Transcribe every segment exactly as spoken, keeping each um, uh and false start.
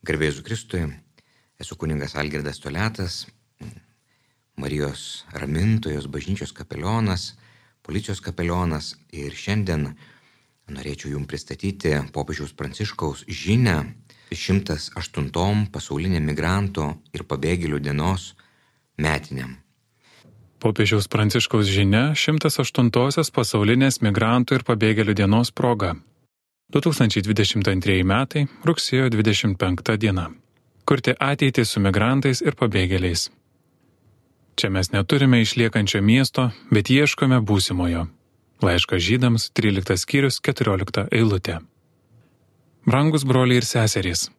Garbė Jėzui Kristui, esu kunigas Algirdas Toliatas, Marijos ramintojos bažnyčios kapelionas, policijos kapelionas ir šiandien norėčiau jums pristatyti popiežiaus Pranciškaus žinią šimtas aštuntom pasaulinėm migrantų ir pabėgėlių dienos metiniam. Popiežiaus Pranciškaus žinia šimtas aštuntosios pasaulinės migrantų ir pabėgėlių dienos proga. du tūkstančiai dvidešimt antrieji metai, rugsėjo dvidešimt penkta diena. Kurti ateitį su migrantais ir pabėgėliais. Čia mes neturime išliekančio miesto, bet ieškome būsimojo. Laiškas žydams, tryliktas skyrius, keturiolikta eilutė. Brangus broliai ir seserys,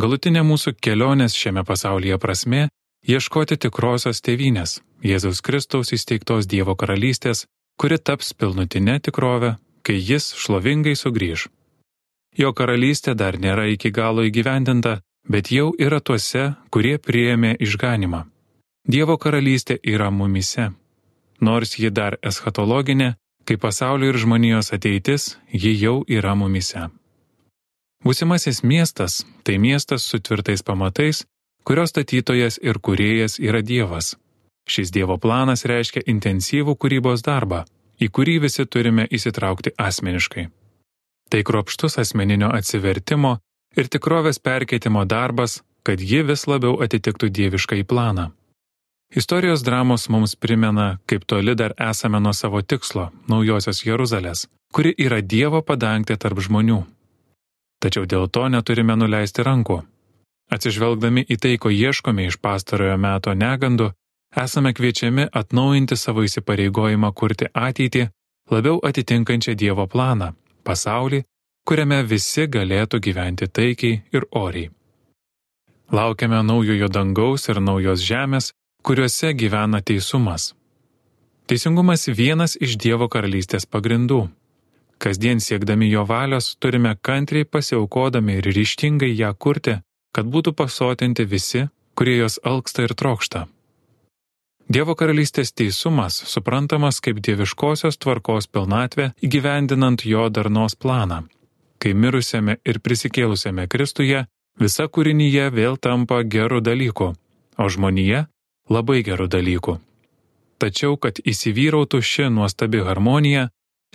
galutinė mūsų kelionės šiame pasaulyje prasmė – ieškoti tikrosios tėvynės, Jėzaus Kristaus įsteigtos Dievo karalystės, kuri taps pilnutinė tikrovė, kai jis šlovingai sugrįž. Jo karalystė dar nėra iki galo įgyvendinta, bet jau yra tuose, kurie priėmė išganimą. Dievo karalystė yra mumyse. Nors ji dar eschatologinė, kai pasaulio ir žmonijos ateitis, ji jau yra mumyse. Būsimasis miestas – tai miestas su tvirtais pamatais, kurio statytojas ir kūrėjas yra Dievas. Šis Dievo planas reiškia intensyvų kūrybos darbą, į kurį visi turime įsitraukti asmeniškai. Tai kruopštus asmeninio atsivertimo ir tikrovės perkeitimo darbas, kad ji vis labiau atitiktų dieviškąjį planą. Istorijos dramos mums primena, kaip toli dar esame nuo savo tikslo, naujosios Jeruzalės, kuri yra Dievo padangtė tarp žmonių. Tačiau dėl to neturime nuleisti rankų. Atsižvelgdami į tai, ko ieškome iš pastarojo meto negandų, esame kviečiami atnaujinti savo įsipareigojimą kurti ateitį, labiau atitinkančią Dievo planą, pasaulį, kuriame visi galėtų gyventi taikiai ir oriai. Laukiame naujojo dangaus ir naujos žemės, kuriuose gyvena teisumas. Teisingumas vienas iš Dievo karalystės pagrindų. Kasdien siekdami jo valios turime kantriai pasiaukodami ir ryžtingai ją kurti, kad būtų pasotinti visi, kurie jos alksta ir trokšta. Dievo karalystės teisumas suprantamas kaip dieviškosios tvarkos pilnatvė įgyvendinant jo darnos planą. Kai mirusiame ir prisikėlusiame Kristuje, visa kūrinyje vėl tampa gerų dalykų, o žmonija – labai gerų dalykų. Tačiau, kad įsivyrautų ši nuostabi harmonija,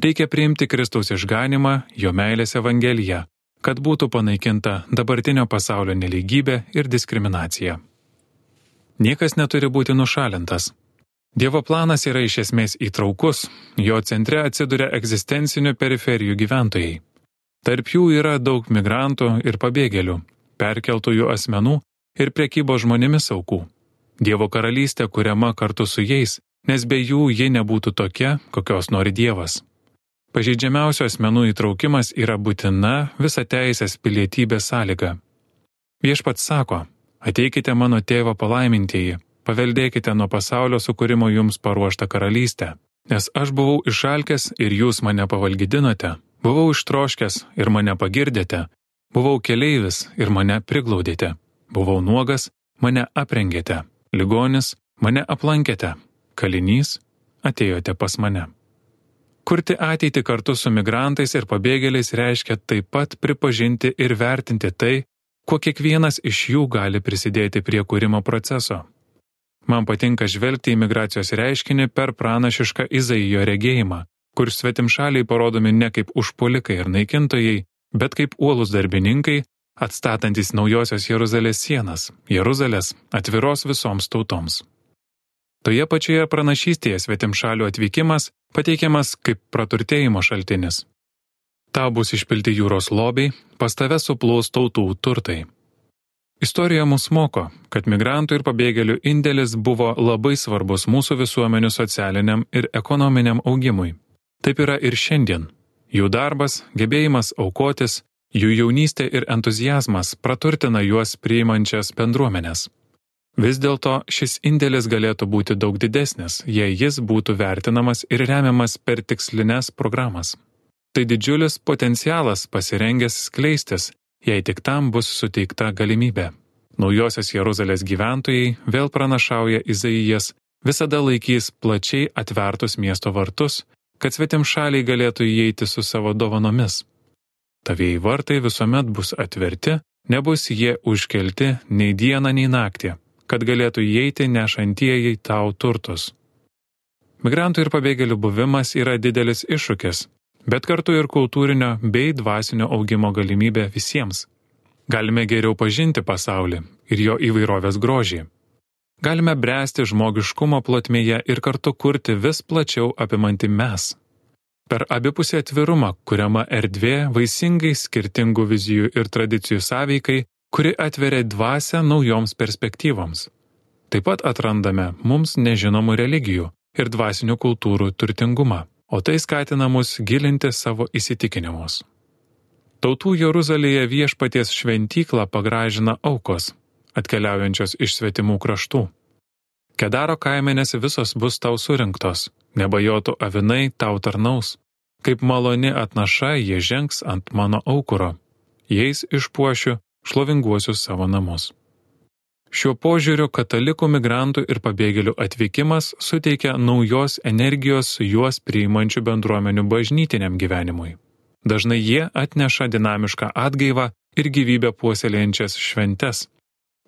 reikia priimti Kristaus išganimą, jo meilės evangeliją, kad būtų panaikinta dabartinio pasaulio nelygybė ir diskriminacija. Niekas neturi būti nušalintas. Dievo planas yra iš esmės įtraukus, jo centre atsiduria egzistencinių periferijų gyventojai. Tarp jų yra daug migrantų ir pabėgėlių, perkeltųjų asmenų ir prekybos žmonėmis aukų. Dievo karalystė kuriama kartu su jais, nes be jų ji nebūtų tokia, kokios nori Dievas. Pažeidžiamiausių asmenų įtraukimas yra būtina visateisės pilietybės sąlyga. Viešpats sako: ateikite mano tėvo palaimintieji, paveldėkite nuo pasaulio sukūrimo jums paruoštą karalystę, nes aš buvau išalkęs ir jūs mane pavalgydinote, buvau ištroškęs ir mane pagirdėte, buvau keleivis ir mane priglaudėte, buvau nuogas, mane aprengėte, ligonis, mane aplankėte, kalinys, atėjote pas mane. Kurti ateitį kartu su migrantais ir pabėgėliais reiškia taip pat pripažinti ir vertinti tai, kuo kiekvienas iš jų gali prisidėti prie kūrimo proceso. Man patinka žvelgti į migracijos reiškinį per pranašišką Izaijo regėjimą, kur svetimšaliai parodomi ne kaip užpuolikai ir naikintojai, bet kaip uolūs darbininkai, atstatantis naujosios Jeruzalės sienas, Jeruzalės atviros visoms tautoms. Toje pačioje pranašystėje svetimšalių atvykimas pateikiamas kaip praturtėjimo šaltinis. Tau bus išpilti jūros lobiai, pas tave suplaus tautų turtai. Istorija mus moko, kad migrantų ir pabėgėlių indėlis buvo labai svarbus mūsų visuomenių socialiniam ir ekonominiam augimui. Taip yra ir šiandien. Jų darbas, gebėjimas aukotis, jų jaunystė ir entuziazmas praturtina juos priimančias bendruomenes. Vis dėlto šis indėlis galėtų būti daug didesnis, jei jis būtų vertinamas ir remiamas per tikslines programas. Tai didžiulis potencialas pasirengęs skleistis, jei tik tam bus suteikta galimybė. Naujosios Jeruzalės gyventojai, vėl pranašauja Izaijas, visada laikys plačiai atvertus miesto vartus, kad svetimšaliai galėtų įeiti su savo dovanomis. Tavieji vartai visuomet bus atverti, nebus jie užkelti nei dieną, nei naktį, kad galėtų įeiti nešantieji tau turtus. Migrantų ir pabėgėlių buvimas yra didelis iššūkis, bet kartu ir kultūrinio bei dvasinio augimo galimybė visiems. Galime geriau pažinti pasaulį ir jo įvairovės grožį. Galime bręsti žmogiškumo plotmėje ir kartu kurti vis plačiau apimantį mes. Per abipusį atvirumą kuriama erdvė vaisingai skirtingų vizijų ir tradicijų sąveikai, kuri atveria dvasią naujoms perspektyvoms. Taip pat atrandame mums nežinomų religijų ir dvasinių kultūrų turtingumą, o tai skatina mus gilinti savo įsitikinimus. Tautų Jeruzalėje viešpaties šventyklą pagražina aukos, atkeliaujančios iš svetimų kraštų. Kedaro kaimenės visos bus tau surinktos, nebajotų avinai tau tarnaus. Kaip maloni atnaša jie žengs ant mano aukuro, jais išpuošiu šlovinguosius savo namus. Šiuo požiūriu katalikų migrantų ir pabėgėlių atvykimas suteikia naujos energijos juos priimančių bendruomenių bažnytiniam gyvenimui. Dažnai jie atneša dinamišką atgaivą ir gyvybę puoselėjančias šventes.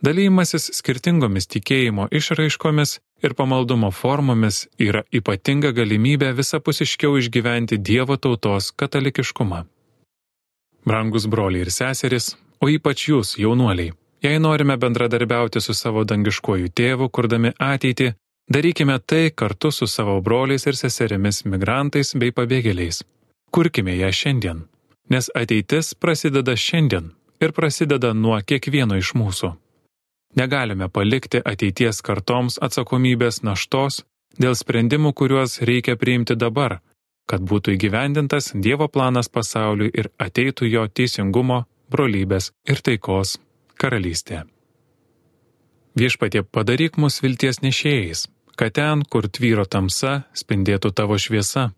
Dalymasis skirtingomis tikėjimo išraiškomis ir pamaldumo formomis yra ypatinga galimybė visapusiškiau išgyventi Dievo tautos katalikiškumą. Brangus broliai ir seserys, o ypač jūs, jaunuoliai, jei norime bendradarbiauti su savo dangiškuoju tėvu, kurdami ateitį, darykime tai kartu su savo broliais ir seserimis migrantais bei pabėgėliais. Kurkime ją šiandien, nes ateitis prasideda šiandien ir prasideda nuo kiekvieno iš mūsų. Negalime palikti ateities kartoms atsakomybės naštos dėl sprendimų, kuriuos reikia priimti dabar, kad būtų įgyvendintas Dievo planas pasauliui ir ateitų jo teisingumo, brolybės ir taikos karalystė. Viešpatie, padaryk mus vilties nešėjais, kad ten, kur tvyro tamsa, spindėtų tavo šviesa,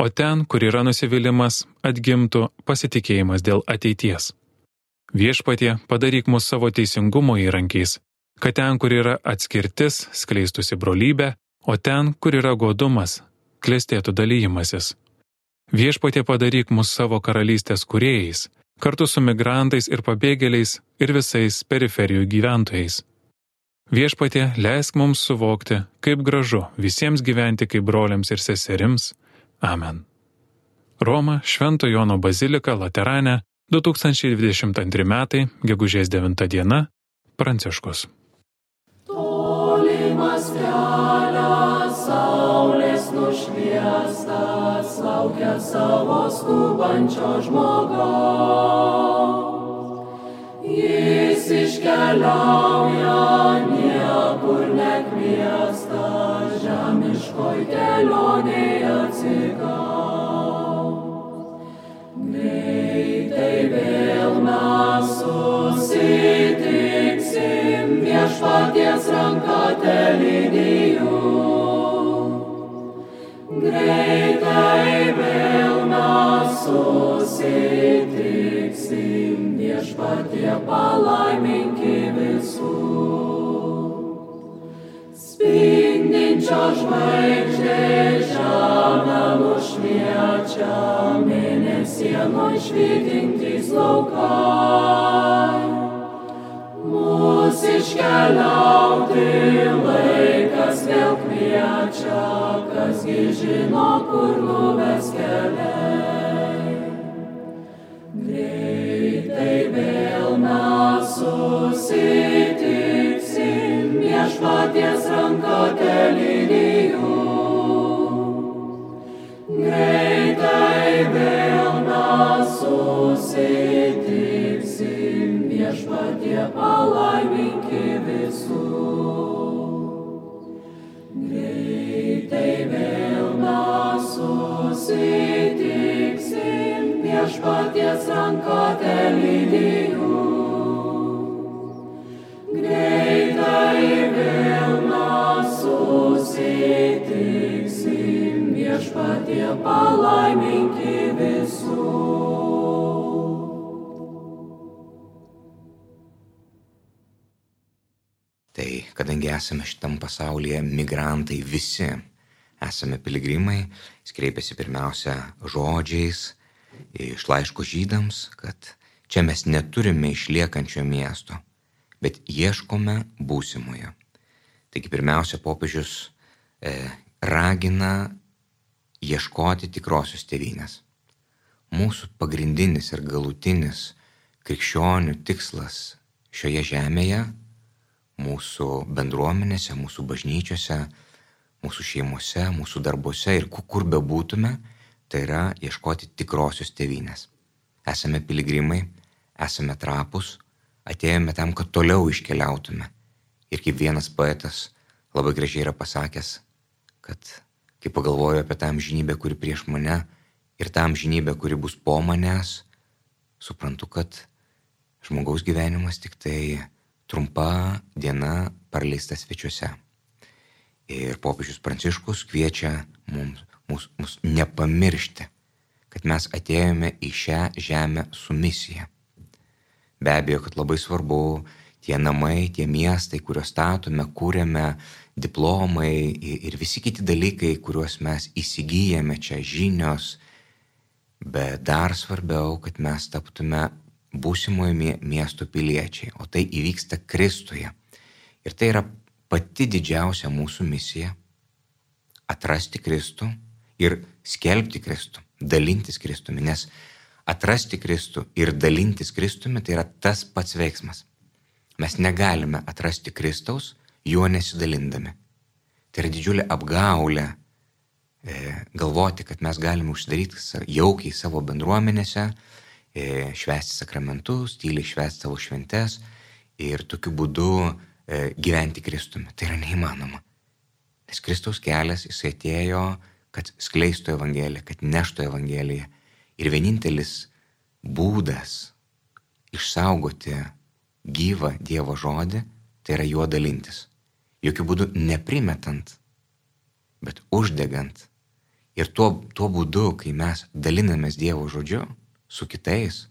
o ten, kur yra nusivylimas, atgimtų pasitikėjimas dėl ateities. Viešpatie, padaryk mus savo teisingumo įrankiais, kad ten, kur yra atskirtis, skleistųsi brolybė, o ten, kur yra godumas, klestėtų dalyjimasis. Viešpatie, padaryk mus savo karalystės kūrėjais, kartu su migrantais ir pabėgėliais ir visais periferijų gyventojais. Viešpatie, leisk mums suvokti, kaip gražu visiems gyventi kaip broliams ir seserims. Amen. Roma, Švento Jono bazilika, Laterane, du tūkstančiai dvidešimt antri metai, gegužės devinta diena, Pranciškus. Tolimas kelias, saulės nušviestas, laukia savo skubančio žmogaus. Jis iškeliauja, niekur nekviestas, žemiškoj kelionėje atsigaus. Greitai vėl mes susitiksim, viešpaties ranka telydiju. Greitai vėl mes susitiksim, viešpatie palaiminki visus. Spindinčio žvaigždės žemę nušviečia, mėnesienoj švytintys laukai. Mūs iškeliauti laikas vėl kviečia, kasgi žino, kur nuves keliai. Greitai vėl mes susitiksim, viešpaties ranka telydiju. Greitai vėl mes susitiksim, viešpatie palaiminki visus. Greitai vėl mes susitiksim, viešpaties ranka telydiju. Greitai vėl mes susitiksim, viešpatie palaiminki visus. Tai kadangi esame šitam pasaulyje migrantai visi, esame piligrimai, jis kreipiasi pirmiausia žodžiais iš laiško žydams, kad Čia mes neturime išliekančio miesto, bet ieškome būsimojo. Taigi pirmiausia, popiežius e, ragina ieškoti tikrosios tėvynės. Mūsų pagrindinis ir galutinis krikščionių tikslas šioje žemėje, mūsų bendruomenėse, mūsų bažnyčiose, mūsų šeimose, mūsų darbuose ir kur bebūtume, tai yra ieškoti tikrosios tėvynės. Esame piligrimai, esame trapus, atėjome tam, kad toliau iškeliautume. Ir kaip vienas poetas labai gražiai yra pasakęs, kad kai pagalvoju apie tą amžinybę, kuri prieš mane, ir tą amžinybę, kuri bus po manęs, suprantu, kad žmogaus gyvenimas tik tai trumpa diena praleista svečiuose. Ir popiežius Pranciškus kviečia mums, mus, mus nepamiršti, kad mes atėjome į šią žemę su misija. Be abejo, kad labai svarbu tie namai, tie miestai, kuriuos statome, kūrėme, diplomai ir visi kiti dalykai, kuriuos mes įsigyjame čia, žinios, bet dar svarbiau, kad mes taptume būsimojo miesto piliečiai, o tai įvyksta Kristuje. Ir tai yra pati didžiausia mūsų misija - atrasti Kristų ir skelbti Kristų, dalintis Kristumi, nes atrasti Kristų ir dalintis Kristumi tai yra tas pats veiksmas. Mes negalime atrasti Kristaus, juo nesidalindami. Tai yra didžiulė apgaulė e, galvoti, kad mes galime užsidaryti jaukiai savo bendruomenėse, švęsti sakramentus, tyliai švęsti savo šventes ir tokiu būdu e, gyventi Kristumi. Tai yra neįmanoma. Nes Kristaus kelias, jisai atėjo, kad skleistų Evangeliją, kad neštų Evangeliją. Ir vienintelis būdas išsaugoti gyvą Dievo žodį, tai yra juo dalintis. Jokių būdų neprimetant, bet uždegant. Ir tuo, tuo būdu, kai mes dalinamės Dievo žodžiu, su kitais,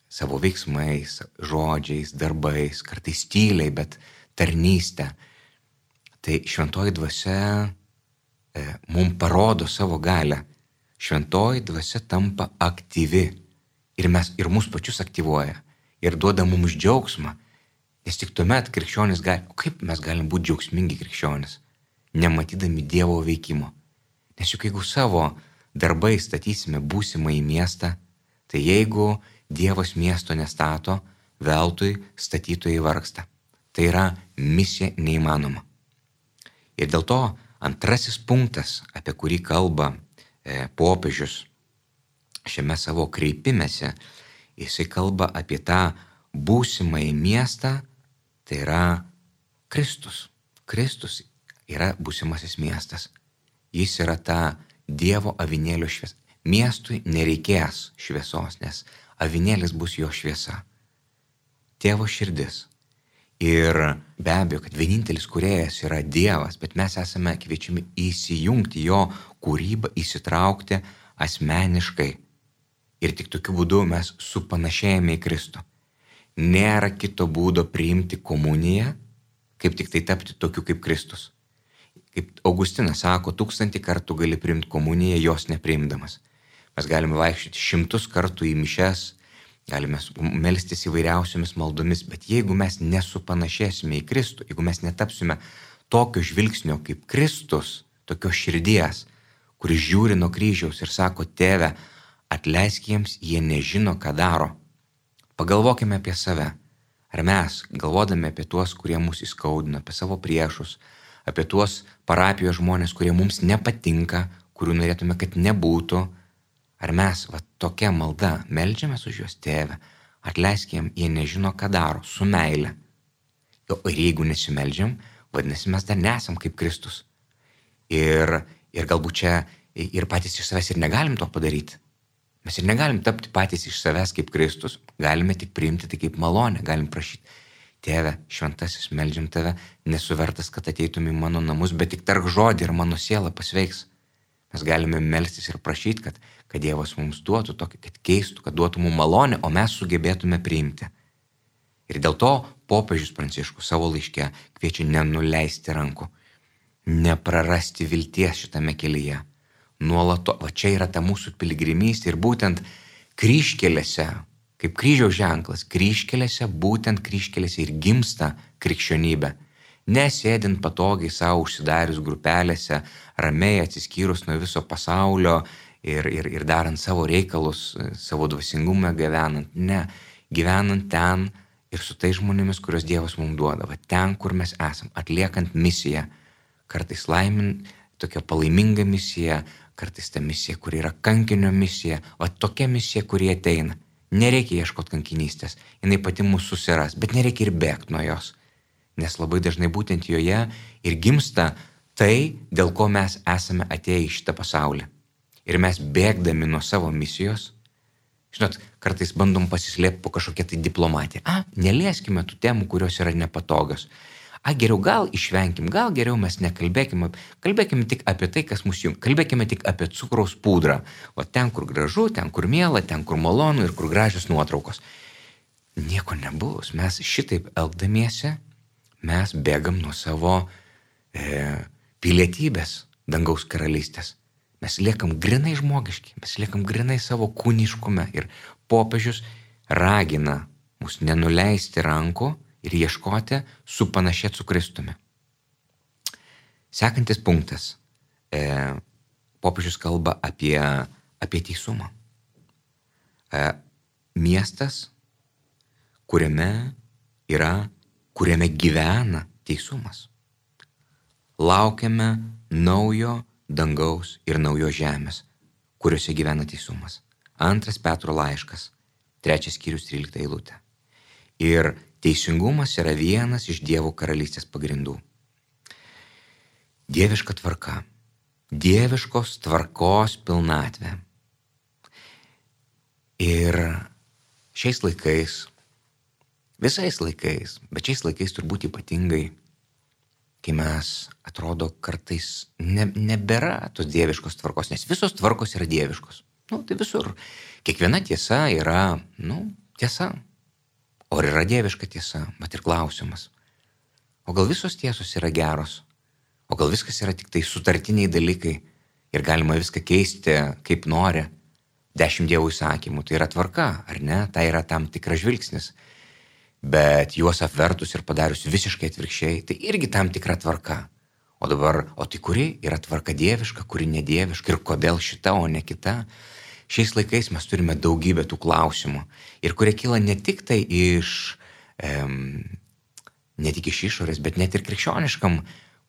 savo veiksmais, žodžiais, darbais, kartais tyliai, bet tarnystę. Tai šventoji dvasia e, mums parodo savo galią. Šventoji dvasia tampa aktyvi ir, mes, ir mus pačius aktyvuoja ir duoda mums džiaugsmą. Nes tik tuomet krikščionis gali, o kaip mes galim būti džiaugsmingi krikščionis, nematydami Dievo veikimo. Nes juk jeigu savo darbai statysime būsimą į miestą, tai jeigu Dievas miesto nestato, veltui statytojai vargsta. Tai yra misija neįmanoma. Ir dėl to antrasis punktas, apie kurį kalba e, popiežius šiame savo kreipimėse, jisai kalba apie tą būsimą į miestą, tai yra Kristus. Kristus yra būsimasis miestas. Jis yra ta Dievo avinėlio šviesa. Miestui nereikės šviesos, nes avinėlis bus jo šviesa. Tėvo širdis. Ir be abejo, kad vienintelis kūrėjas yra Dievas, bet mes esame kviečiami įsijungti jo kūrybą, įsitraukti asmeniškai. Ir tik tokiu būdu mes supanašėjame į Kristų. Nėra kito būdo priimti komuniją, kaip tik tai tapti tokiu kaip Kristus. Kaip Augustinas sako, tūkstantį kartų gali priimti komuniją, jos nepriimdamas. Mes galime vaikščioti šimtus kartų į mišes, galime melstis įvairiausiomis maldomis, bet jeigu mes nesupanašėsime į Kristų, jeigu mes netapsime tokio žvilgsnio kaip Kristus, tokios širdies, kuris žiūri nuo kryžiaus ir sako, Tėve, atleisk jiems, jie nežino, ką daro. Pagalvokime apie save. Ar mes, galvodami apie tuos, kurie mus įskaudina, apie savo priešus, apie tuos parapijos žmonės, kurie mums nepatinka, kurių norėtume, kad nebūtų, ar mes va, tokia malda meldžiamės už juos, Tėve, atleisk jiems, jie nežino, ką daro, su meile. Ir jeigu nesimeldžiam, vadinasi, mes dar nesam kaip Kristus. Ir, ir galbūt čia ir patys iš savęs ir negalim to padaryti. Mes ir negalim tapti patys iš savęs kaip Kristus, galime tik priimti tai kaip malonę, galim prašyti, Tėve, šventasis, meldžiam Tave, nesu vertas, kad ateitum į mano namus, bet tik tark žodį ir mano siela pasveiks. Mes galime melstis ir prašyti, kad, kad Dievas mums duotų tokį, kad keistų, kad duotų mums malonę, o mes sugebėtume priimti. Ir dėl to popiežius Pranciškus savo laiške kviečia nenuleisti rankų, neprarasti vilties šitame kelyje. Nuolato, va čia yra ta mūsų piligrimystė ir būtent kryžkelėse kaip kryžiaus ženklas. Kryžkelėse, būtent kryžkelėse ir gimsta krikščionybė. Nesėdint patogiai savo užsidarius grupelėse, ramiai atsiskyrus nuo viso pasaulio ir, ir, ir darant savo reikalus, savo dvasingumą gyvenant. Ne, gyvenant ten ir su tais žmonėmis, kurios Dievas mums duoda. Va ten, kur mes esam, atliekant misiją. Kartais laimin, tokia palaiminga misija, kartais ta misija, kuri yra kankinio misija. Va tokia misija, kuri ateina. Nereikia ieškoti kankinystės. Jinai pati mūsų susiras, bet nereikia ir bėgti nuo jos. Nes labai dažnai būtent joje ir gimsta tai, dėl ko mes esame atėję į šitą pasaulį. Ir mes bėgdami nuo savo misijos, žinot, kartais bandom pasislėpti po kažkokią tai diplomatiją. A, nelieskime tų temų, kurios yra nepatogios. A, geriau gal išvenkim, gal geriau mes nekalbėkime, kalbėkime tik apie tai, kas mus jungia. Kalbėkime tik apie cukraus pudrą. O ten, kur gražu, ten, kur miela, ten, kur malonu ir kur gražios nuotraukos. Nieko nebus. Mes šitaip elgdamiesi, mes bėgam nuo savo e, pilietybės dangaus karalystės. Mes liekam grinai žmogiški, mes liekam grinai savo kūniškume ir popiežius ragina mus nenuleisti rankų ir ieškoti supanašėti su Kristumi. Sekantis punktas. E, popiežius kalba apie, apie teisumą. E, miestas, kuriame yra kuriame gyvena teisumas. Laukiame naujo dangaus ir naujos žemės, kuriuose gyvena teisumas. Antras Petro laiškas, trečias skyrius, trylikta eilutė. Ir teisingumas yra vienas iš Dievo karalystės pagrindų. Dieviška tvarka, dieviškos tvarkos pilnatvė. Ir šiais laikais, visais laikais, bet šiais laikais turbūt ypatingai, kai mes atrodo kartais ne, nebėra tos dieviškos tvarkos, nes visos tvarkos yra dieviškos. Nu, tai visur. Kiekviena tiesa yra, nu, tiesa. O yra dieviška tiesa, bet ir klausimas. O gal visos tiesos yra geros? O gal viskas yra tik tai sutartiniai dalykai ir galima viską keisti kaip nori? Dešimt dievų įsakymų, tai yra tvarka, ar ne? Tai yra tam tikras žvilgsnis. Bet juos apvertus ir padarius visiškai atvirkščiai, tai irgi tam tikra tvarka. O dabar, o tai kuri yra tvarka dieviška, kuri nedieviška ir kodėl šita, o ne kita? Šiais laikais mes turime daugybę tų klausimų ir kurie kyla ne tik tai iš, em, ne tik iš išorės, bet net ir krikščioniškam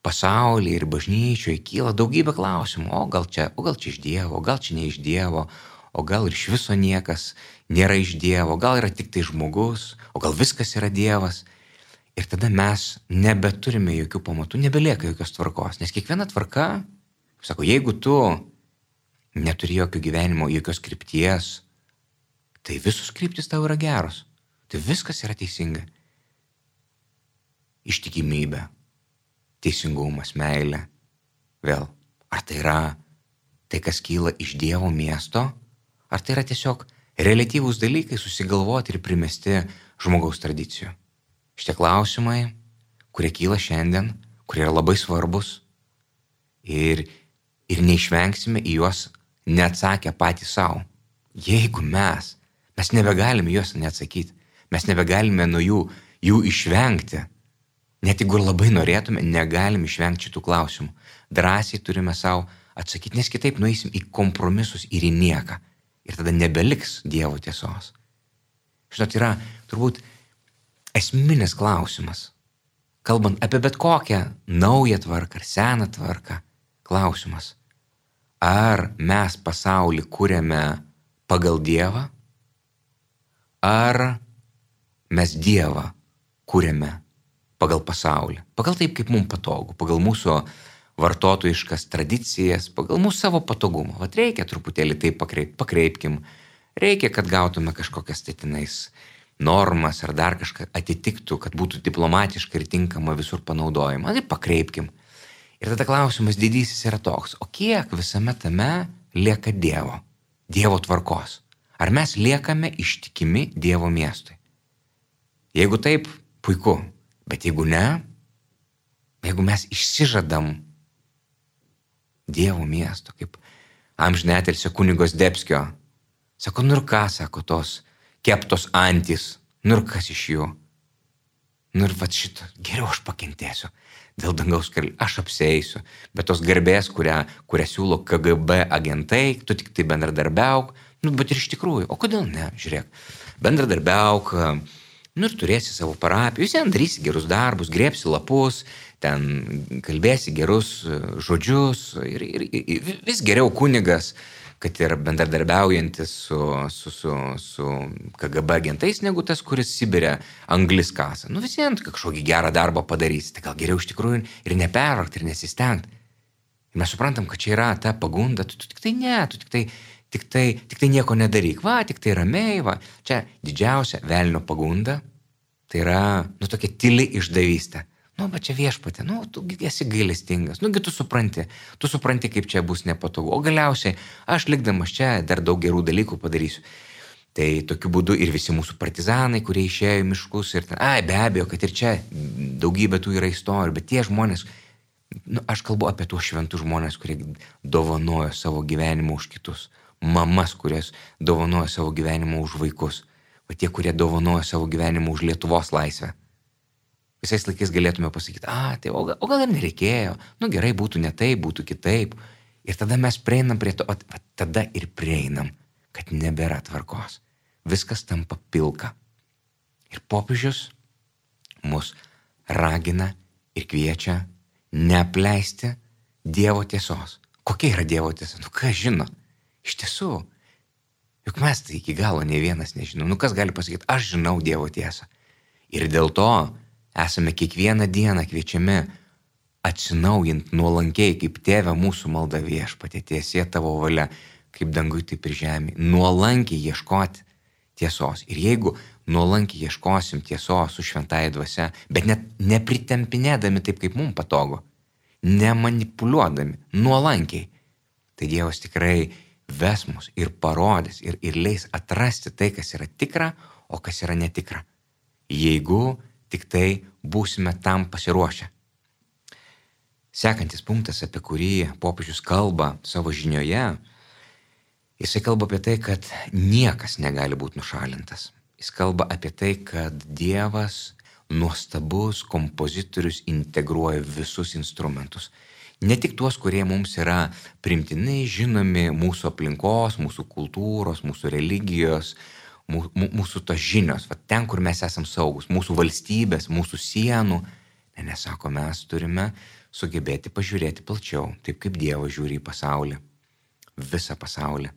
pasaulyje ir bažnyčioje kyla daugybė klausimų. O gal čia, o gal čia iš Dievo, o gal čia ne iš Dievo, o gal ir iš viso niekas nėra iš Dievo, gal yra tik tai žmogus, o gal viskas yra Dievas. Ir tada mes nebeturime jokių pamatų, nebelieka jokios tvarkos. Nes kiekviena tvarka, sako, jeigu tu neturi jokio gyvenimo, jokios krypties, tai visos kryptis tau yra geros. Tai viskas yra teisinga. Ištikimybė, teisingumas, meilė. Vėl, ar tai yra tai, kas kyla iš Dievo miesto, ar tai yra tiesiog reliatyvūs dalykai susigalvoti ir primesti žmogaus tradicijų. Šitie klausimai, kurie kyla šiandien, kurie yra labai svarbus ir, ir neišvengsime į juos neatsakę patys savo. Jeigu mes, mes nebegalime juos neatsakyti, mes nebegalime nuo jų, jų išvengti, net jeigu labai norėtume, negalime išvengti šitų klausimų. Drąsiai turime savo atsakyti, nes kitaip nueisim į kompromisus ir į nieką. Ir tada nebeliks Dievo tiesos. Žinot, yra turbūt esminis klausimas, kalbant apie bet kokią naują tvarką ar seną tvarką, klausimas, ar mes pasaulį kuriame pagal Dievą, ar mes Dievą kuriame pagal pasaulį, pagal taip, kaip mums patogu, pagal mūsų vartotojiškas tradicijas, pagal mūsų savo patogumą. Vat reikia truputėlį taip pakreip, pakreipkim, reikia, kad gautume kažkokias tai tenais normas ar dar kažką atitiktų, kad būtų diplomatiška ir tinkama visur panaudojama. Tai pakreipkim. Ir tada klausimas didysis yra toks, o kiek visame tame lieka Dievo, Dievo tvarkos? Ar mes liekame ištikimi Dievo miestui? Jeigu taip, puiku, bet jeigu ne, jeigu mes išsižadam Dievo miesto, kaip amžinatilsio kunigos Debskio, sako, nu ir ką, sako, tos keptos antys. Nu ir kas iš jų? Nu ir vat šitą, geriau aš pakentėsiu. Dėl dangaus karalystės aš apsieisiu. Bet tos garbės, kurią, kurią siūlo K G B agentai, tu tik tai bendradarbiauk. Nu, bet ir iš tikrųjų, o kodėl ne? Žiūrėk, bendradarbiauk, nu ir turėsi savo parapiją, vis vien darysi gerus darbus, grėpsi lapus, ten kalbėsi gerus žodžius ir, ir, ir vis geriau kunigas, kad ir bendradarbiaujantis su, su, su, su K G B agentais, negu tas, kuris Sibire anglis kasa. Nu vis vien kažkokį gerą darbą padarysi, tai gal geriau iš tikrųjų ir nepervargti, ir nesistengt. Ir mes suprantam, kad čia yra ta pagunda, tu, tu tik tai ne, tu tik tai, tik tai, tik tai nieko nedaryk, va, tik tai ramiai, va. Čia didžiausia velnio pagunda, tai yra, nu, tokia tyli išdavystė. Nu, bet čia viešpatė, nu, tu esi gailestingas, nugi tu supranti, tu supranti, kaip čia bus nepatogu, o galiausiai aš likdamas čia dar daug gerų dalykų padarysiu. Tai tokiu būdu ir visi mūsų partizanai, kurie išėjo į miškus ir ten, ai, be abejo, kad ir čia daugybė tų yra istorijų, bet tie žmonės, nu, aš kalbu apie tuos šventus žmonės, kurie dovanojo savo gyvenimą už kitus, mamas, kurios dovanojo savo gyvenimą už vaikus, o tie, kurie dovanojo savo gyvenimą už Lietuvos laisvę. Visais laikais galėtume pasakyti, a, tai o gal, o gal ir nereikėjo, nu gerai, būtų ne taip, būtų kitaip. Ir tada mes prieinam prie to, o tada ir prieinam, kad nebėra tvarkos. Viskas tampa pilka. Ir popiežius mus ragina ir kviečia neapleisti Dievo tiesos. Kokia yra Dievo tiesa? Nu kas žino? Iš tiesų, juk mes tai iki galo ne vienas nežinom. Nu kas gali pasakyti, aš žinau Dievo tiesą. Ir dėl to esame kiekvieną dieną kviečiami atsinaujint nuolankiai, kaip Tėve mūsų malda viešpatie, tiesie tavo valia, kaip dangui, taip ir žemė. Nuolankiai ieškoti tiesos. Ir jeigu nuolankiai ieškosim tiesos su šventąja dvasia, bet net nepritempinėdami taip, kaip mums patogu, nemanipuliuodami, nuolankiai, tai Dievas tikrai ves mus ir parodys ir, ir leis atrasti tai, kas yra tikra, o kas yra netikra. Jeigu tik tai būsime tam pasiruošę. Sekantis punktas, apie kurį popiežius kalba savo žinioje, jisai kalba apie tai, kad niekas negali būti nušalintas. Jis kalba apie tai, kad Dievas, nuostabus kompozitorius, integruoja visus instrumentus. Ne tik tuos, kurie mums yra primtinai žinomi mūsų aplinkos, mūsų kultūros, mūsų religijos, mūsų tos žinios, va, ten, kur mes esam saugus, mūsų valstybės, mūsų sienų. Ne, nesako, mes turime sugebėti pažiūrėti plačiau, taip kaip Dievas žiūri į pasaulį, visą pasaulį.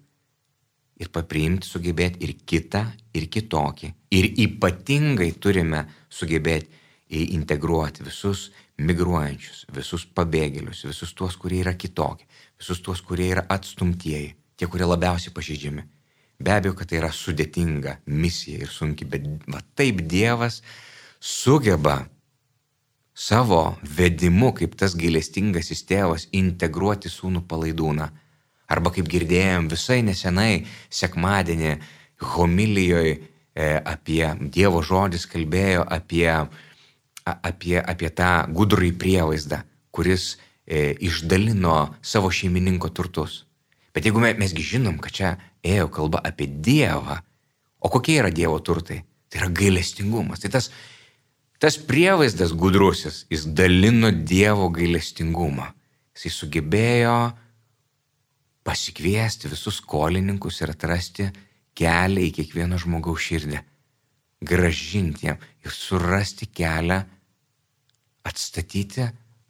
Ir papriimti, sugebėti ir kitą, ir kitokį. Ir ypatingai turime sugebėti integruoti visus migruojančius, visus pabėgėlius, visus tuos, kurie yra kitokie, visus tuos, kurie yra atstumtieji, tie, kurie labiausiai pažeidžiami. Be abejo, kad tai yra sudėtinga misija ir sunki, bet va, taip Dievas sugeba savo vedimu, kaip tas gailestingasis tėvas, integruoti sūnų palaidūną. Arba kaip girdėjom visai nesenai sekmadienį homilijoje e, apie Dievo žodis kalbėjo apie, apie, apie tą gudrųjį prievaizdą, kuris e, išdalino savo šeimininko turtus. Bet jeigu mes, mesgi žinom, kad čia ėjo kalba apie Dievą, o kokie yra Dievo turtai? Tai yra gailestingumas. Tai tas, tas prievaizdas gudrusis, jis dalino Dievo gailestingumą. Jis sugebėjo pasikviesti visus skolininkus ir atrasti kelią į kiekvieno žmogaus širdį. Gražinti jam ir surasti kelią, atstatyti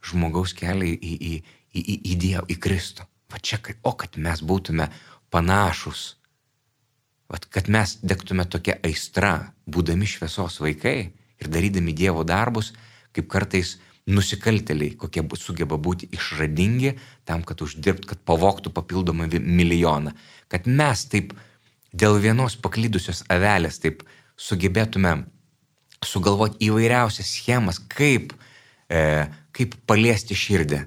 žmogaus kelią į, į, į, į, į Dievą, į Kristų. Va čia, o kad mes būtume panašus, va, kad mes degtume tokia aistra, būdami šviesos vaikai ir darydami Dievo darbus, kaip kartais nusikaltėliai, kokie sugeba būti išradingi tam, kad uždirbt, kad pavogtų papildomą milijoną. Kad mes taip dėl vienos paklydusios avelės taip sugebėtume sugalvoti įvairiausias schemas, kaip, e, kaip paliesti širdį,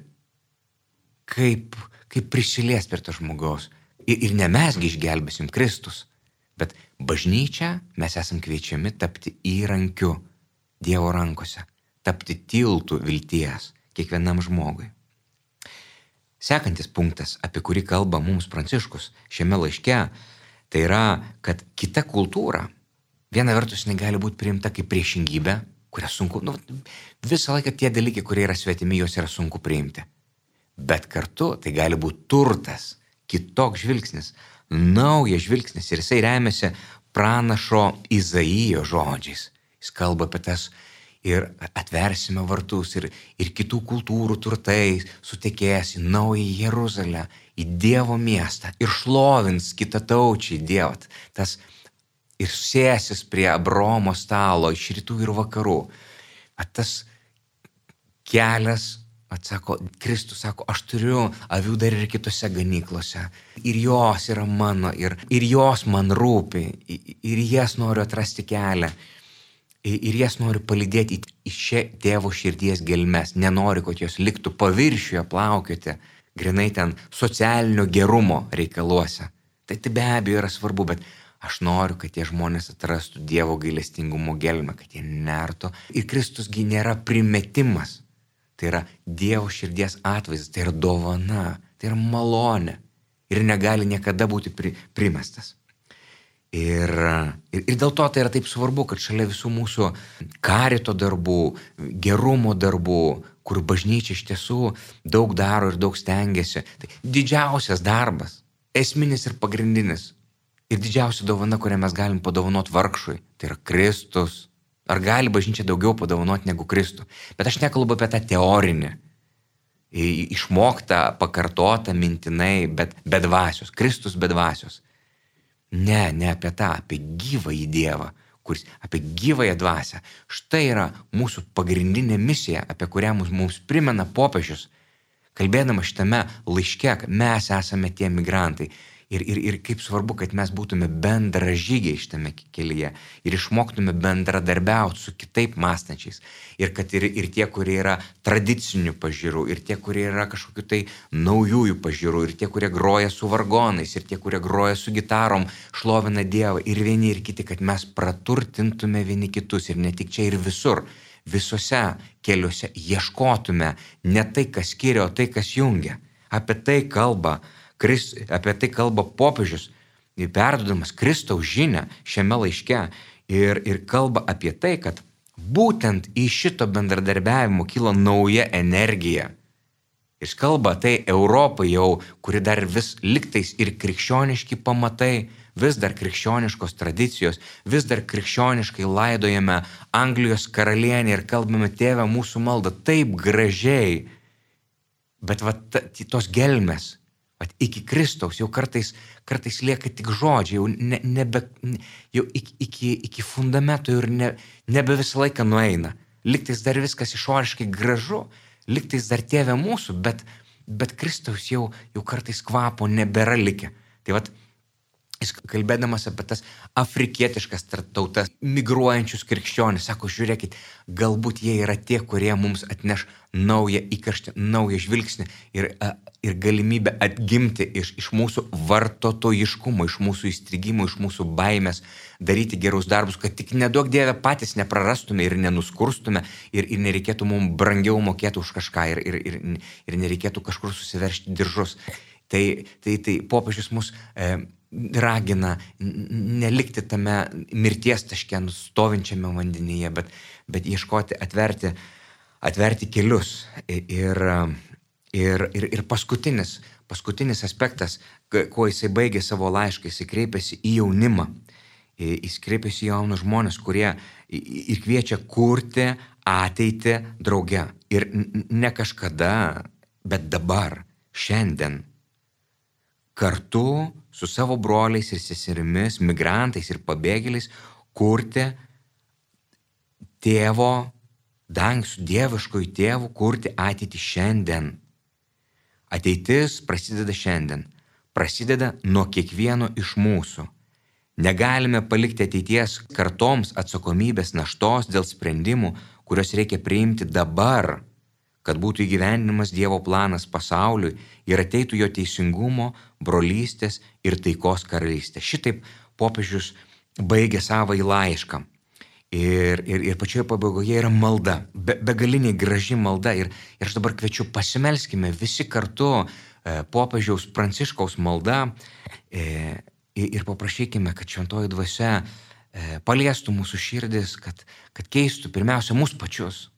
kaip, kaip prisiliesti prie to žmogaus. Ir, ir ne mesgi išgelbėsim Kristus, bet bažnyčia mes esam kviečiami tapti įrankiu Dievo rankose, tapti tiltų vilties kiekvienam žmogui. Sekantis punktas, apie kurį kalba mums Pranciškus šiame laiške, tai yra, kad kita kultūra Viena vertus jinai gali būti priimta kaip priešingybė, kurią sunku, nu, visą laiką tie dalykai, kurie yra svetimi, juos yra sunku priimti. Bet kartu tai gali būti turtas, kitoks žvilgsnis, naujas žvilgsnis ir jisai remiasi pranašo Izaijo žodžiais. Jis kalba apie tas ir atversime vartus ir, ir kitų kultūrų turtai sutekės į naują Jeruzalę, į Dievo miestą ir šlovins kitataučiai Dievą. Tas ir sėsis prie Abraomo stalo iš rytų ir vakarų. At tas kelias, atsako, Kristus sako, aš turiu avių dar ir kitose ganyklose. Ir jos yra mano, ir, ir jos man rūpi, ir jas noriu atrasti kelią. Ir jas noriu palydėti į šią tėvo širdies gelmes. Nenoriu, kad jos liktų paviršiuje plaukioti, grinai ten socialinio gerumo reikaluose. Tai tai be abejo yra svarbu, bet aš noriu, kad tie žmonės atrastų Dievo gailestingumo gelmę, kad jie nertų. Ir Kristusgi nėra primetimas. Tai yra Dievo širdies atvaizdas, tai yra dovana, tai yra malonė. Ir negali niekada būti pri, primestas. Ir, ir, ir dėl to tai yra taip svarbu, kad šalia visų mūsų karito darbų, gerumo darbų, kur bažnyčia iš tiesų daug daro ir daug stengiasi, tai didžiausias darbas, esminis ir pagrindinis, ir didžiausia dovana, kurią mes galim padovanoti vargšui, tai yra Kristus. Ar gali bažnyčia daugiau padovanoti negu Kristų? Bet aš nekalbu apie tą teorinį, išmoktą, pakartotą mintinai, bet be dvasios, Kristus be dvasios. Ne, ne apie tą, apie gyvąjį Dievą, kuris, apie gyvąją dvasią. Štai yra mūsų pagrindinė misija, apie kurią mums, mums primena popiežius. Kalbėdama šitame laiške, mes esame tie migrantai. Ir, ir, ir kaip svarbu, kad mes būtume bendražygiai šitame kelyje ir išmoktume bendradarbiauti su kitaip mąstančiais. Ir kad ir, ir tie, kurie yra tradicinių pažiūrų, ir tie, kurie yra kažkokių tai naujųjų pažiūrų, ir tie, kurie groja su vargonais, ir tie, kurie groja su gitarom, šlovina Dievą, ir vieni ir kiti, kad mes praturtintume vieni kitus ir ne tik čia ir visur. Visose keliuose ieškotume ne tai, kas skiria, o tai, kas jungia. Apie tai kalba Krist, apie tai kalba popiežius, perduodamas Kristaus žinią šiame laiške ir, ir kalba apie tai, kad būtent iš šito bendradarbiavimo kyla nauja energija. Jis kalba tai Europai jau, kuri dar vis liktais ir krikščioniški pamatai, vis dar krikščioniškos tradicijos, vis dar krikščioniškai laidojame Anglijos karalienę ir kalbame Tėve mūsų maldą taip gražiai, bet va, tos gelmės, At iki Kristaus jau kartais, kartais lieka tik žodžiai, jau, ne, nebe, jau iki, iki, iki fundamento ir ne, nebe visą laiką nueina. Liktais dar viskas išoriškai gražu, liktais dar Tėve mūsų, bet, bet Kristaus jau, jau kartais kvapo nebėra likę. Tai vat, jis kalbėdamas apie tas afrikietiškas tautas, migruojančius krikščionis, sako, žiūrėkit, galbūt jie yra tie, kurie mums atneš naują įkarštį, naują žvilgsnį ir, ir galimybę atgimti iš, iš mūsų vartotojiškumo, iš mūsų įstrigimo, iš mūsų baimės, daryti gerus darbus, kad tik neduok Dieve patys neprarastume ir nenuskurstume ir, ir nereikėtų mums brangiau mokėti už kažką ir, ir, ir, ir nereikėtų kažkur susiveršti diržus. Tai, tai, tai popiežius mus e, ragina nelikti tame mirties taške stovinčiame vandenyje, bet, bet ieškoti, atverti, atverti kelius. Ir, ir, ir, ir paskutinis, paskutinis aspektas, kuo jisai baigė savo laišką, jisai kreipėsi į jaunimą. Jis kreipėsi į jaunus žmonės, kurie ir kviečia kurti ateitį drauge. Ir ne kažkada, bet dabar, šiandien. Kartu su savo broliais ir seserimis, migrantais ir pabėgėliais kurti tėvo, dang su dieviškoju tėvu, kurti ateitį šiandien. Ateitis prasideda šiandien, prasideda nuo kiekvieno iš mūsų. Negalime palikti ateities kartoms atsakomybės naštos dėl sprendimų, kurios reikia priimti dabar, kad būtų įgyvendinamas Dievo planas pasauliui ir ateitų jo teisingumo, brolystės ir taikos karalystė. Šitaip popiežius baigė savąjį laišką. Ir, ir, ir pačioje pabaigoje yra malda, be, begaliniai graži malda. Ir, ir aš dabar kviečiu, pasimelskime visi kartu e, popiežiaus Pranciškaus malda e, ir paprašykime, kad šventoji dvasia paliestų mūsų širdis, kad, kad keistų pirmiausia mūsų pačius,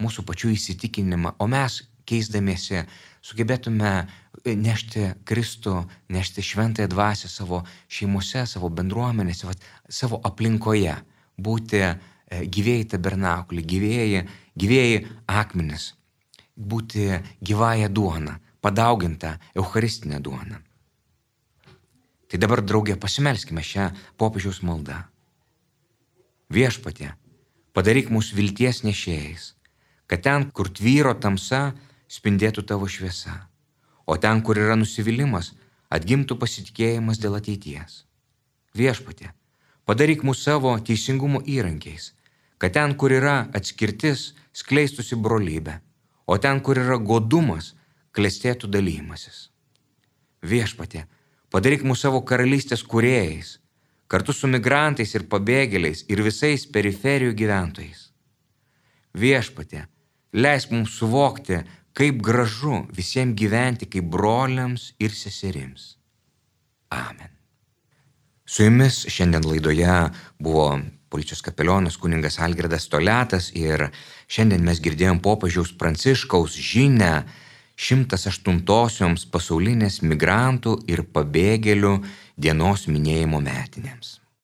mūsų pačių įsitikinimą, o mes keisdamiesi sugebėtume nešti Kristų, nešti šventąją dvasią savo šeimose, savo bendruomenėse, savo aplinkoje, būti gyvėjai tabernakulį, gyvėjai, gyvėjai akmenis, būti gyvąją duoną, padauginta eucharistinė duona. Tai dabar, draugė, pasimelskime šią popiežiaus maldą. Viešpatie, padaryk mūsų vilties nešėjais, kad ten, kur tvyro tamsa, spindėtų tavo šviesa, o ten, kur yra nusivylimas, atgimtų pasitikėjimas dėl ateities. Viešpatie, padaryk mūsų savo teisingumo įrankiais, kad ten, kur yra atskirtis, skleistųsi brolybė, o ten, kur yra godumas, klestėtų dalymasis. Viešpatie, padaryk mūsų savo karalystės kūrėjais, kartu su migrantais ir pabėgėliais ir visais periferijų gyventojais. Viešpatie, leisk mums suvokti, kaip gražu visiems gyventi kaip broliams ir seserims. Amen. Su jumis šiandien laidoje buvo policijos kapelionas kuningas Algirdas Toliatas ir šiandien mes girdėjom popiežiaus Pranciškaus žinią šimtas aštuntosioms pasaulinės migrantų ir pabėgėlių dienos minėjimo metinėms.